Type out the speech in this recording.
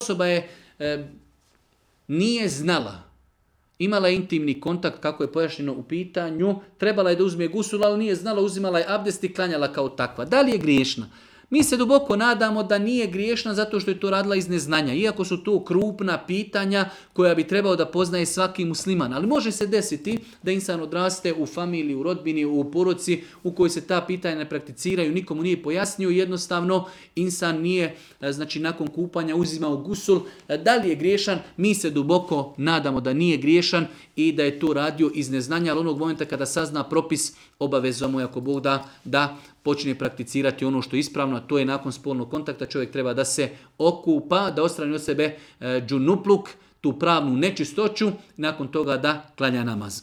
osoba je nije znala, imala je intimni kontakt, kako je pojašnjeno u pitanju, trebala je da uzme gusul, ali nije znala, uzimala je abdest i klanjala kao takva. Da li je griješna? Mi se duboko nadamo da nije griješna zato što je to radila iz neznanja, iako su to krupna pitanja koja bi trebao da poznaje svaki musliman. Ali može se desiti da insan odraste u familiji, u rodbini, u porodici u kojoj se ta pitanja ne prakticiraju, nikomu nije pojasnio, jednostavno insan nije, znači nakon kupanja uzimao gusul. Da li je griješan? Mi se duboko nadamo da nije griješan i da je to radio iz neznanja, ali onog momenta kada sazna propis, obavezno mu je, ako Bog da počne prakticirati ono što je ispravno, a to je nakon spolnog kontakta čovjek treba da se okupa, da odstrani od sebe džunupluk, tu pravnu nečistoću, nakon toga da klanja namaz.